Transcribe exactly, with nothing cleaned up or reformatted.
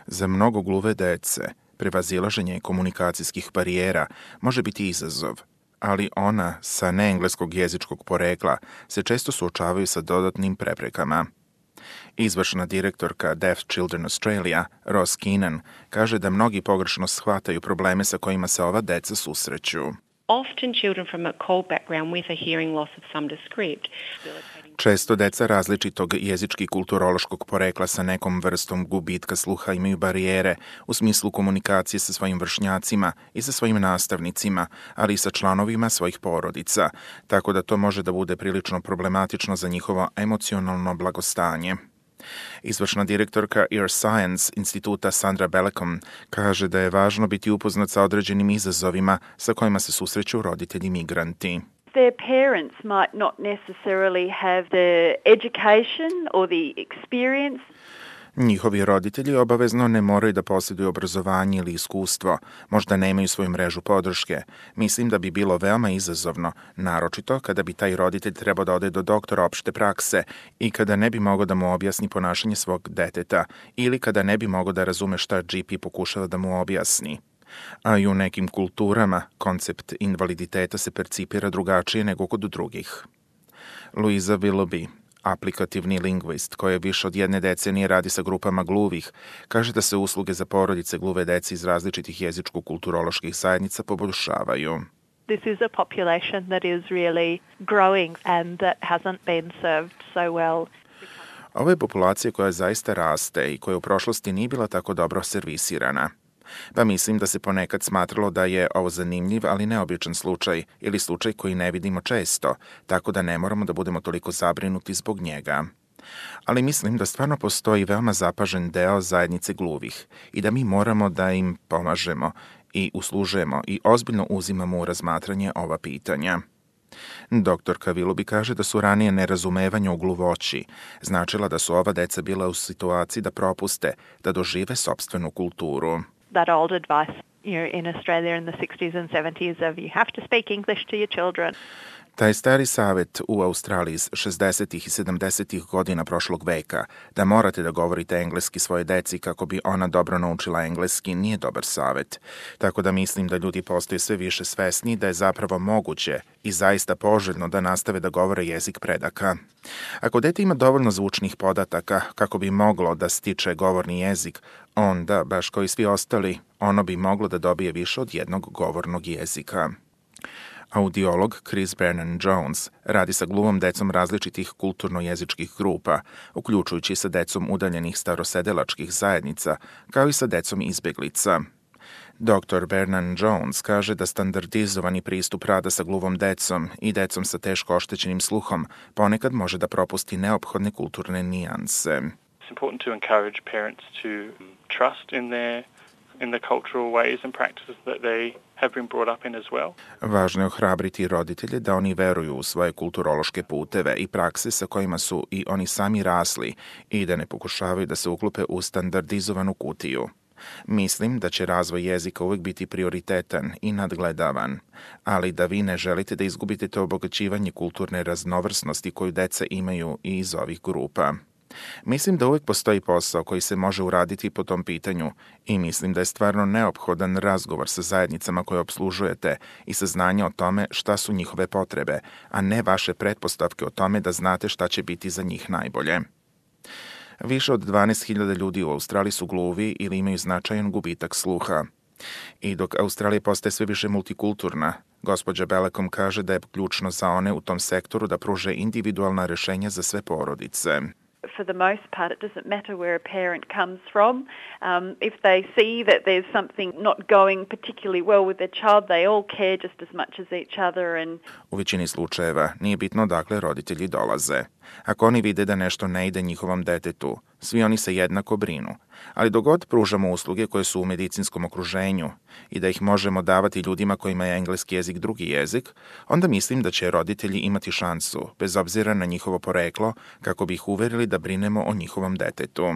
Za mnogo gluve dece, prevazilaženje komunikacijskih barijera može biti izazov, ali ona sa neengleskog jezičkog porekla se često suočavaju sa dodatnim preprekama. Izvršna direktorka Deaf Children Australia, Ross Keenan, kaže da mnogi pogrešno shvataju probleme sa kojima se ova deca susreću. Often children from a cold background with a hearing loss of some descript. Često deca različitog jezički kulturološkog porekla sa nekom vrstom gubitka sluha imaju barijere u smislu komunikacije sa svojim vršnjacima i sa svojim nastavnicima, ali i sa članovima svojih porodica, tako da to može da bude prilično problematično za njihovo emocionalno blagostanje. Izvršna direktorka Ear Science instituta Sandra Bellecom kaže da je važno biti upoznat sa određenim izazovima sa kojima se susreću roditelji migranti. Their parents might not necessarily have the education or the experience. Njihovi roditelji obavezno ne moraju da posjeduju obrazovanje ili iskustvo, možda nemaju svoju mrežu podrške. Mislim da bi bilo veoma izazovno, naročito kada bi taj roditelj trebao da ode do doktora opšte prakse i kada ne bi mogao da mu objasni ponašanje svog deteta ili kada ne bi mogao da razume šta G P pokušava da mu objasni. A i u nekim kulturama koncept invaliditeta se percipira drugačije nego kod drugih. Louisa Willoughby, aplikativni lingvist koja više od jedne decenije radi sa grupama gluvih, kaže da se usluge za porodice gluve dece iz različitih jezičko-kulturoloških zajednica poboljšavaju. This is a population that is really growing and that hasn't been served so well. Ovo je populacija koja zaista raste i koja u prošlosti nije bila tako dobro servisirana. Pa mislim da se ponekad smatralo da je ovo zanimljiv, ali neobičan slučaj ili slučaj koji ne vidimo često, tako da ne moramo da budemo toliko zabrinuti zbog njega. Ali mislim da stvarno postoji veoma zapažen deo zajednice gluvih i da mi moramo da im pomažemo i uslužujemo i ozbiljno uzimamo u razmatranje ova pitanja. Doktorka Willoughby kaže da su ranije nerazumevanja u gluvoći značila da su ova deca bila u situaciji da propuste, da dožive sopstvenu kulturu. That old advice, you know, in Australia in the sixties and seventies of you have to speak English to your children. Taj stari savjet u Australiji iz šezdesetih i sedamdesetih godina prošlog veka, da morate da govorite engleski svoje deci kako bi ona dobro naučila engleski, nije dobar savjet. Tako da mislim da ljudi postaju sve više svesni da je zapravo moguće i zaista poželjno da nastave da govore jezik predaka. Ako dete ima dovoljno zvučnih podataka kako bi moglo da stiče govorni jezik, onda, baš kao i svi ostali, ono bi moglo da dobije više od jednog govornog jezika. Audiolog Chris Brennan-Jones radi sa gluvom decom različitih kulturno-jezičkih grupa, uključujući sa decom udaljenih starosedelačkih zajednica, kao i sa decom izbeglica. doktor Brennan-Jones kaže da standardizovani pristup rada sa gluvom decom i decom sa teško oštećenim sluhom ponekad može da propusti neophodne kulturne nijanse. It's important to encourage parents to trust in their in the cultural ways and practices that they have been brought up in as well. Važno je ohrabriti roditelje da oni veruju u svoje kulturološke puteve i prakse sa kojima su i oni sami rasli i da ne pokušavaju da se uklope u standardizovanu kutiju. Mislim da će razvoj jezika uvijek biti prioritetan i nadgledavan, ali da vi ne želite da izgubite to obogaćivanje kulturne raznovrsnosti koju deca imaju i iz ovih grupa. Mislim da uvijek postoji posao koji se može uraditi po tom pitanju i mislim da je stvarno neophodan razgovor sa zajednicama koje obslužujete i saznanje o tome šta su njihove potrebe, a ne vaše pretpostavke o tome da znate šta će biti za njih najbolje. Više od dvanaest hiljada ljudi u Australiji su gluvi ili imaju značajan gubitak sluha. I dok Australija postaje sve više multikulturna, gospođa Bellecom kaže da je ključno za one u tom sektoru da pruže individualna rešenja za sve porodice. For the most part, it doesn't matter where a parent comes from. Um, if they see that there's something not going particularly well with their child, they all care just as much as each other. And U većini slučajeva nije bitno dakle roditelji dolaze. Ako oni vide da nešto ne ide njihovom detetu, svi oni se jednako brinu. Ali dok god pružamo usluge koje su u medicinskom okruženju i da ih možemo davati ljudima kojima je engleski jezik drugi jezik, onda mislim da će roditelji imati šansu, bez obzira na njihovo poreklo, kako bi ih uverili da brinemo o njihovom detetu.